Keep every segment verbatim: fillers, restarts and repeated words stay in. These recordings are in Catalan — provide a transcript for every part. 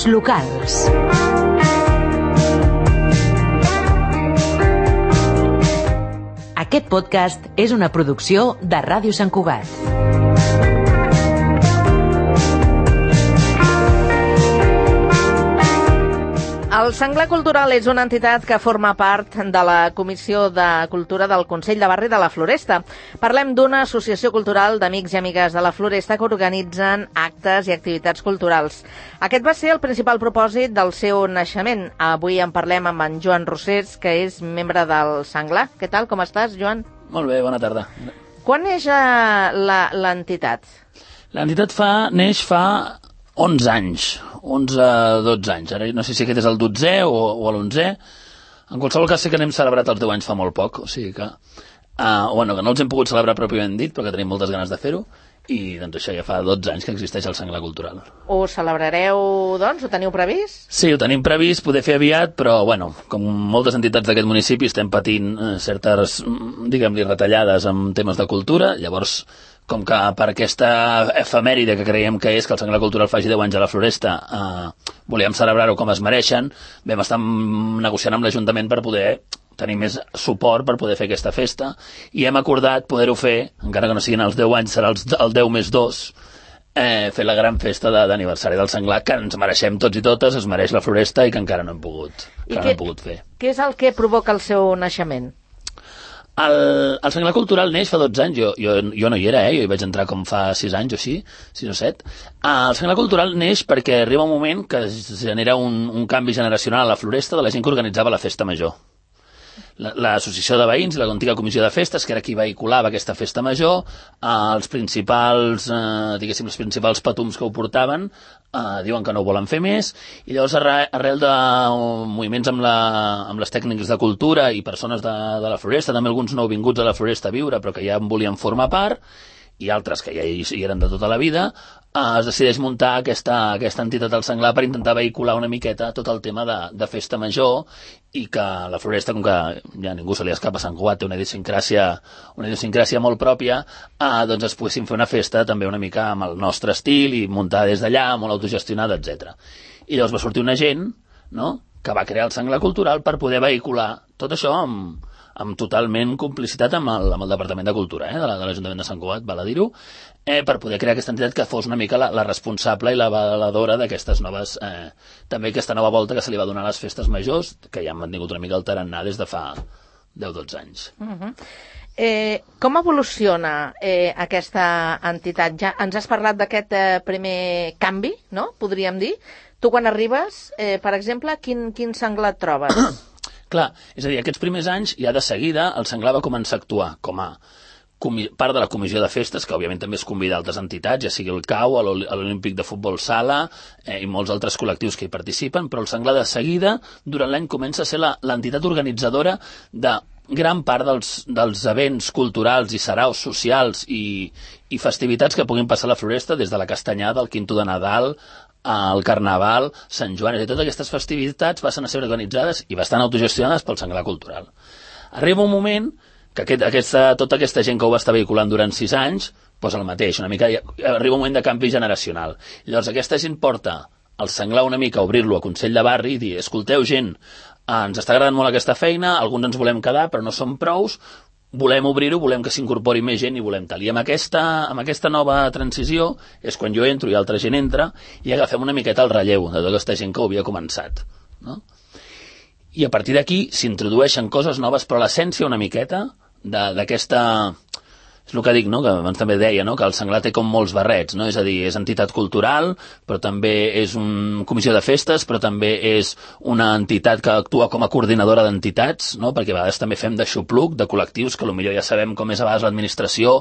Ràdios locals. Aquest podcast és una producció de Ràdio Sant Cugat. El Senglar Cultural és una entitat que forma part de la Comissió de Cultura del Consell de Barri de la Floresta. Parlem d'una associació cultural d'amics i amigues de la Floresta que organitzen actes i activitats culturals. Aquest va ser el principal propòsit del seu naixement. Avui en parlem amb en Joan Rosés, que és membre del Senglar. Què tal, com estàs, Joan? Molt bé, bona tarda. Quan neix l'entitat? L'entitat fa, neix fa onze anys, onze dotze anys. Ara no sé si aquest és el dotzè o, o l'onzè. En qualsevol cas sé que n'hem celebrat els deu anys fa molt poc, o sigui que, uh, bueno, que no els hem pogut celebrar pròpiament dit, però que tenim moltes ganes de fer-ho, i doncs això ja fa dotze anys que existeix el Senglar Cultural. Ho celebrareu, doncs? Ho teniu previst? Sí, ho tenim previst, poder fer aviat, però, bueno, com moltes entitats d'aquest municipi estem patint eh, certes, diguem-li, retallades en temes de cultura, llavors, com que per aquesta efemèride que creiem que és que el Senglar Cultural faci deu anys a la Floresta, eh, volíem celebrar-ho com es mereixen, vam estar negociant amb l'Ajuntament per poder tenir més suport per poder fer aquesta festa, i hem acordat poder-ho fer, encara que no siguin els deu anys, serà els, el deu més dos, eh, fer la gran festa d'aniversari del Senglar, que ens mereixem tots i totes, es mereix la Floresta i que encara no hem pogut, que no hem pogut fer. Què és el que provoca el seu naixement? El, el Senglar Cultural neix fa dotze anys, jo, jo, jo no hi era, eh? Jo hi vaig entrar com fa sis anys o així, sis o set. El Senglar Cultural neix perquè arriba un moment que es genera un, un canvi generacional a la Floresta de la gent que organitzava la festa major. L'associació de veïns i la antiga comissió de festes, que era qui vehiculava aquesta festa major, eh, els principals, eh, diguéssim, els principals patums que ho portaven, eh, diuen que no ho volen fer més, i llavors arrel de moviments amb, la, amb les tècniques de cultura i persones de, de la Floresta, també alguns nouvinguts a la Floresta a viure, però que ja en volien formar part, i altres que ja hi, hi eren de tota la vida, eh, es decideix muntar aquesta, aquesta entitat del Senglar per intentar vehicular una miqueta tot el tema de, de festa major, i que la Floresta, com que ja ningú se li escapa, Sant Cugat té una idiosincràsia, una idiosincràsia molt pròpia, eh, doncs es poguessin fer una festa també una mica amb el nostre estil i muntar des d'allà, molt autogestionada, etcètera. I llavors va sortir una gent, no?, que va crear el Senglar Cultural per poder vehicular tot això amb, amb totalment complicitat amb el, amb el Departament de Cultura, eh, de l'Ajuntament de Sant Cugat, val a dir-ho, eh, per poder crear aquesta entitat que fos una mica la, la responsable i la valedora d'aquestes noves, eh, també aquesta nova volta que se li va donar a les festes majors, que ja han mantingut una mica el tarannà des de fa deu dotze anys. Uh -huh. eh, com evoluciona eh, aquesta entitat? Ja ens has parlat d'aquest eh, primer canvi, no?, podríem dir. Tu quan arribes, eh, per exemple, quin, quin Senglar et trobes? Clar, és a dir, aquests primers anys, ja de seguida, el Senglar va començar a actuar com a part de la comissió de festes, que òbviament també es convida a altres entitats, ja sigui el C A U, l'Olímpic de Futbol Sala, eh, i molts altres col·lectius que hi participen, però el Senglar de seguida, durant l'any, comença a ser l'entitat organitzadora de gran part dels, dels events culturals i saraus socials i, i festivitats que puguin passar a la Floresta, des de la Castanyada, el Quinto de Nadal, el Carnaval, Sant Joan, i totes aquestes festivitats passen a ser organitzades i bastant autogestionades pel Senglar Cultural. Arriba un moment que aquest, aquesta, tota aquesta gent que ho va estar vehiculant durant sis anys, doncs el mateix, una mica, arriba un moment de canvi generacional. Llavors aquesta gent porta el Senglar una mica a obrir-lo a Consell de Barri i dir, escolteu gent, ens està agradant molt aquesta feina, alguns ens volem quedar però no som prous, volem obrir-ho, volem que s'incorpori més gent i volem tal. I amb aquesta, amb aquesta nova transició és quan jo entro i altra gent entra i agafem una miqueta el relleu de tota aquesta gent que ho havia començat, no? I a partir d'aquí s'introdueixen coses noves, però l'essència una miqueta d'aquesta... És el que dic, no?, que abans també deia, no?, que el Senglar té com molts barrets, no?, és a dir, és entitat cultural, però també és una comissió de festes, però també és una entitat que actua com a coordinadora d'entitats, no?, perquè a vegades també fem de xupluc, de col·lectius, que potser ja sabem com és a vegades l'administració,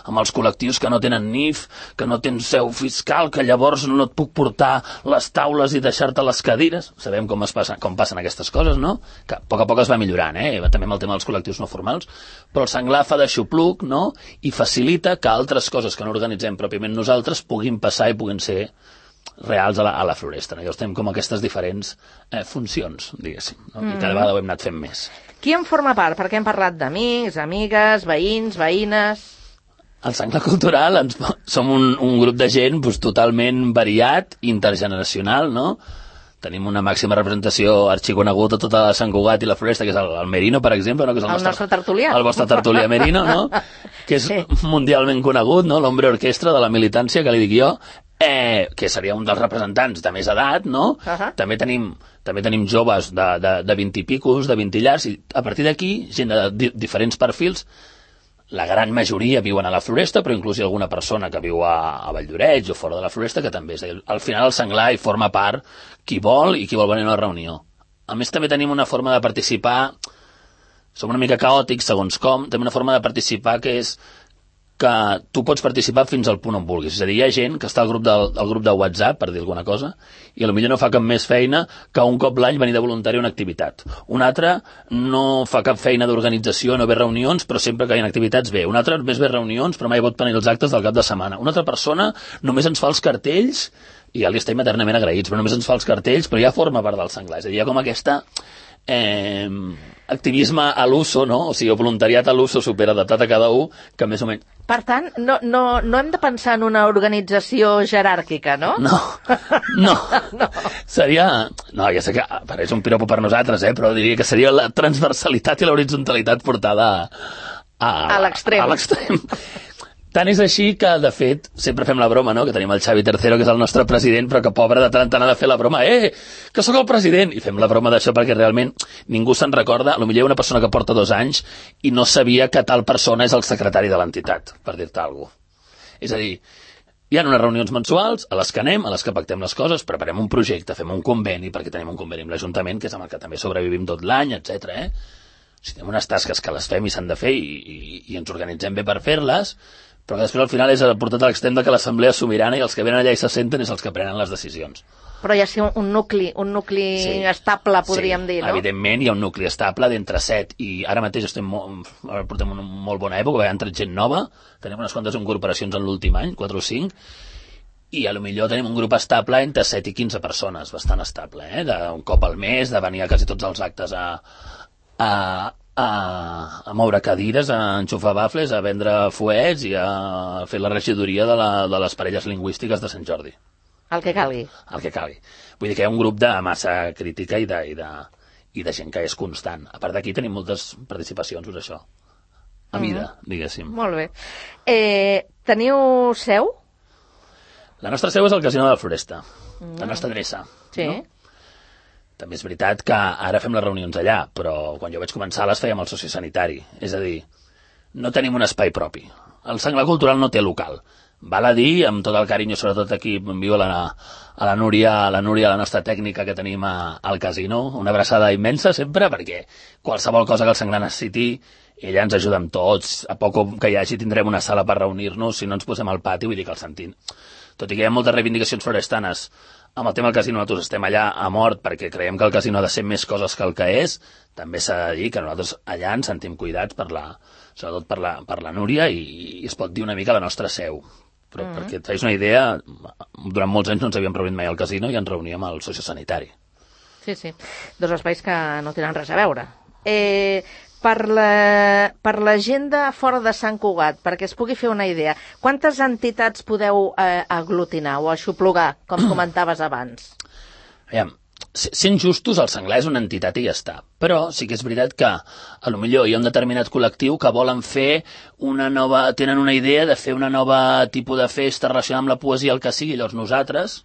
amb els col·lectius que no tenen N I F, que no tenen seu fiscal, que llavors no et puc portar les taules i deixar-te les cadires. Sabem com, es passa, com passen aquestes coses, no?, que a poc a poc es va millorant, eh?, també amb el tema dels col·lectius no formals, però el Senglar fa de xupluc, no?, i facilita que altres coses que no organitzem pròpiament nosaltres puguin passar i puguin ser reals a la, a la Floresta. No? Llavors tenim com aquestes diferents eh, funcions, diguéssim, no? Mm. I cada vegada ho hem anat fent més. Qui en forma part? Perquè hem parlat d'amics, amigues, veïns, veïnes... Al Senglar Cultural ens, som un, un grup de gent pues, totalment variat, intergeneracional, no? tenim una màxima representació arxiconegut a tota Sant Cugat i la Floresta, que és el, el Merino, per exemple, no? Que és el, el nostre, nostre tertulià. El vostre tertulià Merino, no? Que és sí. mundialment conegut, no? L'hombre orquestra de la militància, que li dic jo, eh, que seria un dels representants de més edat, no? Uh -huh. També tenim també tenim joves de, de, de vint i picos, de vint i llargs, i a partir d'aquí, gent de di diferents perfils. La gran majoria viuen a la Floresta, però inclús hi ha alguna persona que viu a, a Valldoreix o fora de la Floresta, que també és. Al final el senglar hi forma part qui vol i qui vol venir a una reunió. A més, també tenim una forma de participar, som una mica caòtics, segons com, tenim una forma de participar que és que tu pots participar fins al punt on vulguis. És a dir, hi ha gent que està al grup, del, al grup de WhatsApp, per dir alguna cosa, i potser no fa cap més feina que un cop l'any venir de voluntari a una activitat. Un altre no fa cap feina d'organització, no ve reunions, però sempre que hi ha activitats ve. Un altre només ve reunions, però mai pot tenir els actes del cap de setmana. Una altra persona només ens fa els cartells, i ja li estem eternament agraïts, però només ens fa els cartells, però ja forma part del senglar. És a dir, hi ha com aquesta... Eh, activisme a l'uso, no? O sigui, el voluntariat a l'uso superadaptat a cada un, que més o menys... Per tant, no, no, no hem de pensar en una organització jeràrquica, no? No, no. no. Seria... No, ja sé que pareix un piropo per nosaltres, eh? Però diria que seria la transversalitat i l'horitzontalitat portada a... A, a l'extrem. A l'extrem. Tant és així que, de fet, sempre fem la broma, no?, que tenim el Xavi Tercero, que és el nostre president, però que pobre de tant en tant ha de fer la broma, eh, que sóc el president! I fem la broma d'això perquè realment ningú se'n recorda, potser hi ha una persona que porta dos anys i no sabia que tal persona és el secretari de l'entitat, per dir-te alguna cosa. És a dir, hi ha unes reunions mensuals a les que anem, a les que pactem les coses, preparem un projecte, fem un conveni, perquè tenim un conveni amb l'Ajuntament, que és amb el que també sobrevivim tot l'any, etcètera. Eh? O sigui, tenim unes tasques que les fem i s'han de fer i, i, i ens organitzem bé per fer-les, però que després al final és portat a l'extrem de que l'assemblea és sobirana i els que venen allà i se senten és els que prenen les decisions. Però hi ha sí, un nucli, un nucli sí. estable, podríem sí. dir, no? Evidentment hi ha un nucli estable d'entre set i ara mateix estem molt, portem una molt bona època, ha entrat gent nova, tenim unes quantes incorporacions en l'últim any, quatre o cinc, i a lo millor tenim un grup estable entre set i quinze persones, bastant estable, eh? De, un cop al mes, de venir a quasi tots els actes a... a A, a moure cadires, a enxufar bafles, a vendre fuets i a fer la regidoria de, la, de les parelles lingüístiques de Sant Jordi. El que calgui. El que calgui. Vull dir que hi ha un grup de massa crítica i de, i de, i de gent que és constant. A part d'aquí tenim moltes participacions, doncs això. A mida, uh-huh. diguéssim. Molt bé. Eh, teniu seu? La nostra seu és el Casino de la Floresta. Uh-huh. La nostra adreça. Sí. No? També és veritat que ara fem les reunions allà, però quan jo vaig començar les fèiem al sociosanitari. És a dir, no tenim un espai propi. El senglar cultural no té local. Val a dir, amb tot el carinyo, sobretot aquí envio a la, a la Núria, a la Núria, la nostra tècnica que tenim a, al casino, una abraçada immensa sempre, perquè qualsevol cosa que el senglar necessiti, ella ens ajuda amb tots. A poc que hi hagi tindrem una sala per reunir-nos, si no ens posem al pati, vull dir que el sentim. Tot i que hi ha moltes reivindicacions florestanes amb el tema del casino, nosaltres estem allà a mort perquè creiem que el casino ha de ser més coses que el que és. També s'ha de dir que nosaltres allà ens sentim cuidats per la, sobretot per la, per la Núria i, i es pot dir una mica la nostra seu. Però mm. perquè et feis una idea, durant molts anys no ens havíem reunit mai al casino i ens reuníem al sociosanitari. Sí, sí. Dos espais que no tenen res a veure. Eh, per, la, per la gent de fora de Sant Cugat, perquè es pugui fer una idea, quantes entitats podeu eh, aglutinar o aixoplugar, com comentaves abans? Aviam, sent justos, el senglar és una entitat i ja està. Però sí que és veritat que a lo millor hi ha un determinat col·lectiu que volen fer una nova... tenen una idea de fer una nova tipus de festa relacionada amb la poesia, el que sigui. Llavors nosaltres,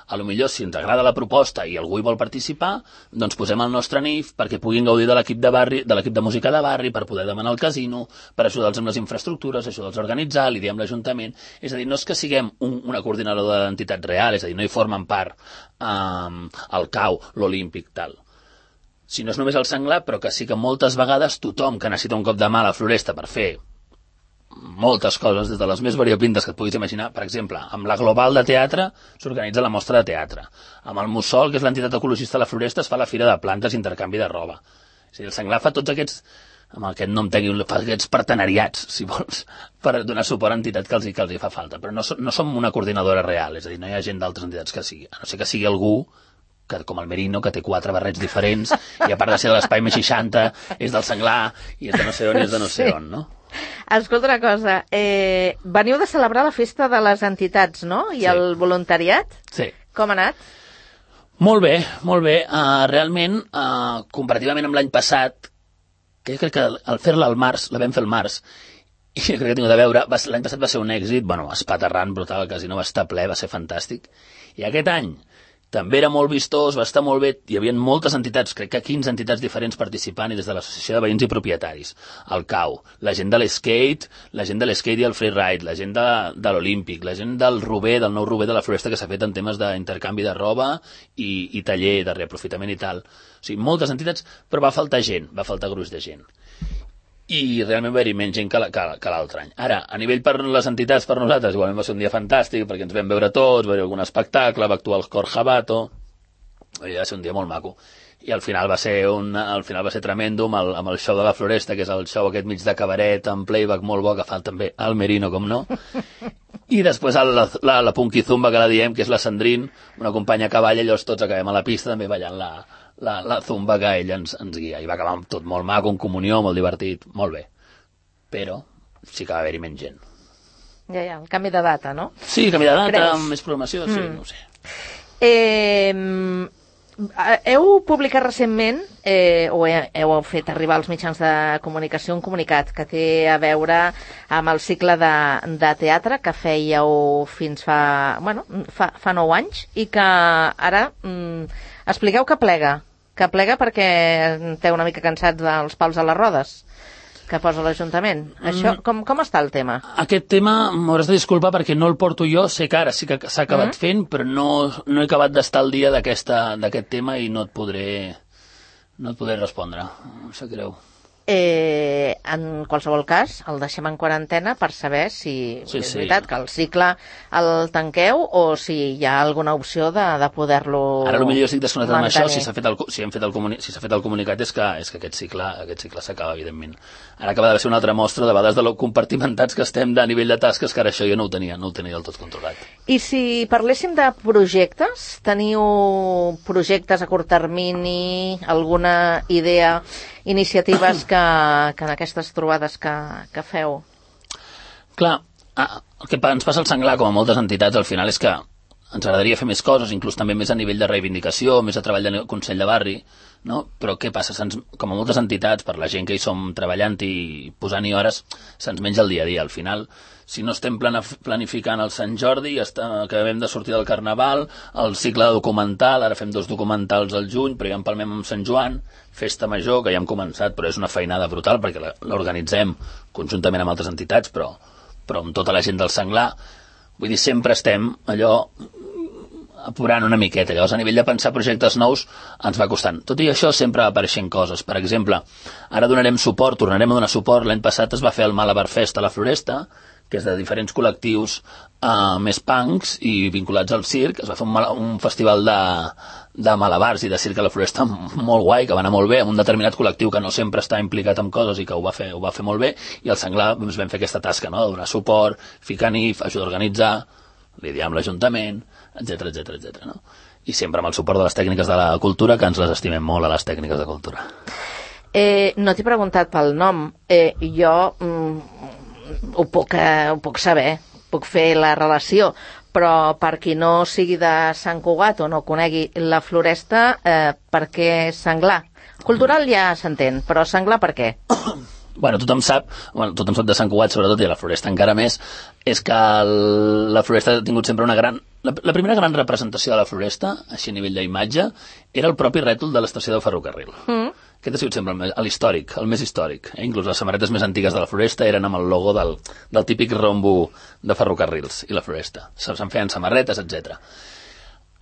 a lo millor si ens agrada la proposta i algú hi vol participar, doncs posem el nostre N I F perquè puguin gaudir de l'equip de barri, de l'equip de música de barri, per poder demanar al casino, per ajudar-los amb les infraestructures, ajudar-los a organitzar, li diem l'Ajuntament. És a dir, no és que siguem un, una coordinadora d'entitats real, és a dir, no hi formen part um, el C A U, l'Olímpic, tal. Si no és només el senglar, però que sí que moltes vegades tothom que necessita un cop de mà a la Floresta per fer moltes coses, des de les més variopintes que et puguis imaginar. Per exemple, amb la Global de Teatre s'organitza la mostra de teatre. Amb el Mussol, que és l'entitat ecologista de la Floresta, es fa la fira de plantes i intercanvi de roba. És a dir, el senglar fa tots aquests, amb aquest nom tècnic, fa aquests partenariats, si vols, per donar suport a entitats que els, que els hi fa falta. Però no, no som una coordinadora real, és a dir, no hi ha gent d'altres entitats que sigui. A no ser que sigui algú que, com el Merino, que té quatre barrets diferents i a part de ser de l'Espai més seixanta és del senglar i és de no sé on i és de no sé on, no? Escolta una cosa, eh, veniu de celebrar la festa de les entitats, no? I sí. El voluntariat? Sí. Com ha anat? Molt bé, molt bé. Uh, realment, uh, comparativament amb l'any passat, que jo crec que al fer-la al març, la vam fer al març, i jo crec que tinc de veure, va, l'any passat va ser un èxit, bueno, espaterrant, brutal, el casino va estar ple, va ser fantàstic. I aquest any també era molt vistós, va estar molt bé, hi havia moltes entitats, crec que quinze entitats diferents participant, i des de l'Associació de Veïns i Propietaris, el C A U, la gent de l'skate, la gent de l'skate i el freeride, la gent de, de l'Olímpic, la gent del Rober, del nou Rober de la Floresta, que s'ha fet en temes d'intercanvi de roba i, i taller de reaprofitament i tal. O sigui, moltes entitats, però va faltar gent, va faltar gruix de gent. I realment va haver-hi menys gent que, la, que, que l'altre any. Ara, a nivell per les entitats, per nosaltres, igualment va ser un dia fantàstic, perquè ens vam veure tots, va haver algun espectacle, va actuar el Cor Jabato, va ser un dia molt maco. I al final va ser, un, al final va ser tremendo amb el, amb el show de la Floresta, que és el show aquest mig de cabaret, amb playback molt bo, que fa també el Merino, com no. I després el, la, la, la Punky Zumba, que la diem, que és la Sandrine, una companya que balla, i llavors tots acabem a la pista també ballant la, la, la zumba que ella ens, ens guia. I va acabar tot molt maco, en comunió, molt divertit, molt bé. Però sí que va haver-hi menys gent. Ja, ja, el canvi de data, no? Sí, canvi de data, Creus? amb més programació, sí, Mm. no ho sé. Eh, heu publicat recentment, eh, o heu fet arribar als mitjans de comunicació un comunicat que té a veure amb el cicle de, de teatre que fèieu fins fa, bueno, fa, fa nou anys i que ara mm, expliqueu que plega, que plega perquè té una mica cansats dels pals a les rodes que posa l'Ajuntament. Això, com, com està el tema? Aquest tema m'hauràs de disculpar perquè no el porto jo, sé que ara sí que s'ha acabat Mm. fent, però no, no he acabat d'estar al dia d'aquesta- d'aquest tema i no et podré, no et podré respondre. Em sap greu. Eh, en qualsevol cas, el deixem en quarantena per saber si Sí, és sí. veritat que el cicle el tanqueu o si hi ha alguna opció de, de poder-lo Ara potser jo estic desconnectat amb això, mantenir. si s'ha fet, el, si hem fet el, comuni, si s'ha fet el comunicat és que, és que aquest cicle aquest cicle s'acaba, evidentment. Ara acaba de ser una altra mostra de vegades de lo compartimentats que estem de nivell de tasques, que ara això jo no ho tenia, no ho tenia del tot controlat. I si parléssim de projectes, teniu projectes a curt termini, alguna idea, iniciatives que, que en aquestes trobades que, que feu? Clar, ah, el que pa- ens passa al Senglar, com a moltes entitats, al final és que ens agradaria fer més coses, inclús també més a nivell de reivindicació, més a treball de Consell de Barri, no? Però què passa? Se'ns, com a moltes entitats, per la gent que hi som treballant i posant-hi hores, se'ns menja el dia a dia. Al final, si no estem planif- planificant el Sant Jordi, està, acabem de sortir del Carnaval, el cicle de documental, ara fem dos documentals al juny, però ja empalmem amb Sant Joan, Festa Major, que ja hem començat, però és una feinada brutal, perquè la- l'organitzem conjuntament amb altres entitats, però, però amb tota la gent del Senglar. Vull dir, sempre estem allò apurant una miqueta. Llavors, a nivell de pensar projectes nous, ens va costant. Tot i això, sempre va apareixent coses. Per exemple, ara donarem suport, tornarem a donar suport. L'any passat es va fer el Malabar Fest a la Floresta, que és de diferents col·lectius uh, més punks i vinculats al circ. Es va fer un, mal- un festival de, de malabars i de circ a la Floresta molt guai, que va anar molt bé, amb un determinat col·lectiu que no sempre està implicat en coses i que ho va fer, ho va fer molt bé, i al Senglar doncs, vam fer aquesta tasca, no?, de donar suport, ficar N I F, ajudar a organitzar, lidiar amb l'Ajuntament, etcètera, etcètera, etcètera, no? I sempre amb el suport de les tècniques de la cultura, que ens les estimem molt a les tècniques de cultura. Eh, no t'he preguntat pel nom. Eh, jo mm, ho, puc, eh, ho puc saber, puc fer la relació, però per qui no sigui de Sant Cugat o no conegui la Floresta, eh, per què Senglar? Cultural ja s'entén, però Senglar per què? Bueno, tothom sap, bueno, tothom sap de Sant Cugat, sobretot, i a la Floresta encara més, és que el, la Floresta ha tingut sempre una gran... La, la primera gran representació de la Floresta, així a nivell d'imatge, era el propi rètol de l'estació del ferrocarril. Mm. Aquest ha sigut sempre el més- l'històric, el més històric. Eh? Inclús les samarretes més antigues de la Floresta eren amb el logo del, del típic rombo de ferrocarrils i la Floresta. Se- Se'n feien samarretes, etcètera.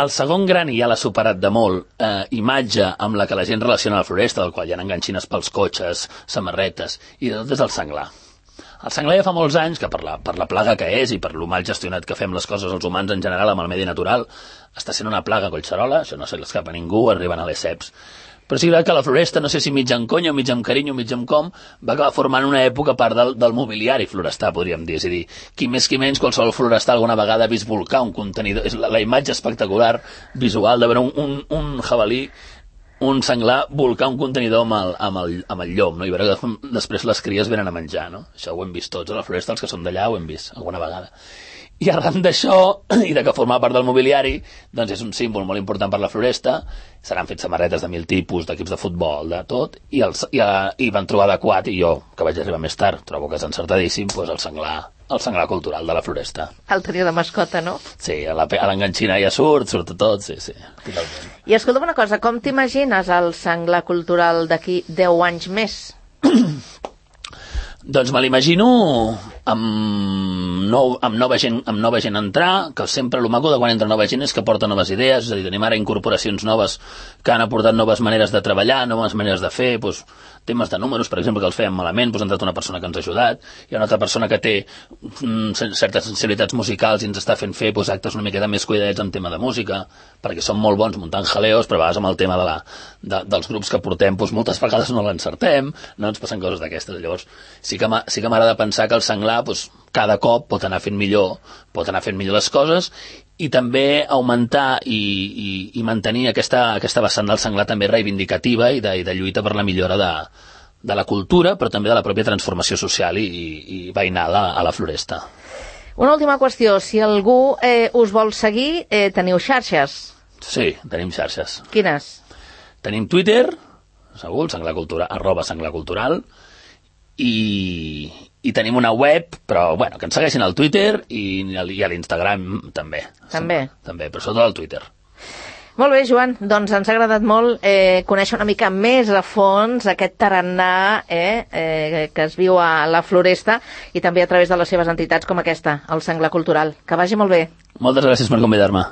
El segon gran, i ja l'ha superat de molt, eh, imatge amb la que la gent relaciona la Floresta, del qual hi ha enganxines pels cotxes, samarretes, i de tot és el Senglar. El Senglar ja fa molts anys que per la, per la plaga que és i per lo mal gestionat que fem les coses els humans en general amb el medi natural, està sent una plaga collserola, això no se li escapa a ningú, arriben a les ceps. Però sí que la Floresta, no sé si mig en conya, mig amb carinyo, mig amb com, va acabar formant una època part del, del mobiliari florestà, podríem dir. És a dir, qui més qui menys, qualsevol florestà alguna vegada ha vist volcar un contenidor. És la, la imatge espectacular, visual, de veure un, un, un jabalí, un senglar, volcar un contenidor amb el, amb el, amb el llom, no? I veure que després les cries venen a menjar, no? Això ho hem vist tots a la Floresta, els que són d'allà ho hem vist alguna vegada. I arran d'això, i de que forma part del mobiliari, doncs és un símbol molt important per la Floresta, s'han fet samarretes de mil tipus, d'equips de futbol, de tot, i, els, i, i van trobar adequat, i jo, que vaig arribar més tard, trobo que és encertadíssim, doncs el senglar, el senglar cultural de la Floresta. El tenia de mascota, no? Sí, a l'enganxina ja surt, surt tot, sí, sí, totalment. I escolta'm una cosa, com t'imagines el senglar cultural d'aquí deu anys més? Doncs me l'imagino amb, nou, amb, nova gent, amb nova gent entrar, que sempre el maco de quan entra nova gent és que porta noves idees, és a dir, tenim ara incorporacions noves que han aportat noves maneres de treballar, noves maneres de fer, doncs, temes de números, per exemple, que els fèiem malament, doncs ha entrat una persona que ens ha ajudat, hi ha una altra persona que té mm, certes sensibilitats musicals i ens està fent fer doncs, actes una miqueta més cuidadets en tema de música, perquè som molt bons muntant jaleos, però a vegades amb el tema de la, de, dels grups que portem, doncs, moltes vegades no l'encertem, no ens passen coses d'aquestes. Llavors, sí que sí que m'agrada pensar que el senglar doncs, cada cop pot anar fent millor, pot anar fent millor les coses, i també augmentar i, i, i mantenir aquesta, aquesta vessant del senglar també reivindicativa i de, i de lluita per la millora de, de la cultura, però també de la pròpia transformació social i, i, i veïnal a, a la Floresta. Una última qüestió, si algú eh, us vol seguir, eh, teniu xarxes? Sí, tenim xarxes. Quines? Tenim Twitter, segur, senglar cultural, arroba senglar cultural, i, i tenim una web, però bueno, que ens segueixin al Twitter i, i a l'Instagram també. També? També, però sobretot al Twitter. Molt bé, Joan, doncs ens ha agradat molt eh, conèixer una mica més a fons aquest tarannà eh, eh, que es viu a la Floresta i també a través de les seves entitats com aquesta, el Senglar Cultural. Que vagi molt bé. Moltes gràcies per convidar-me.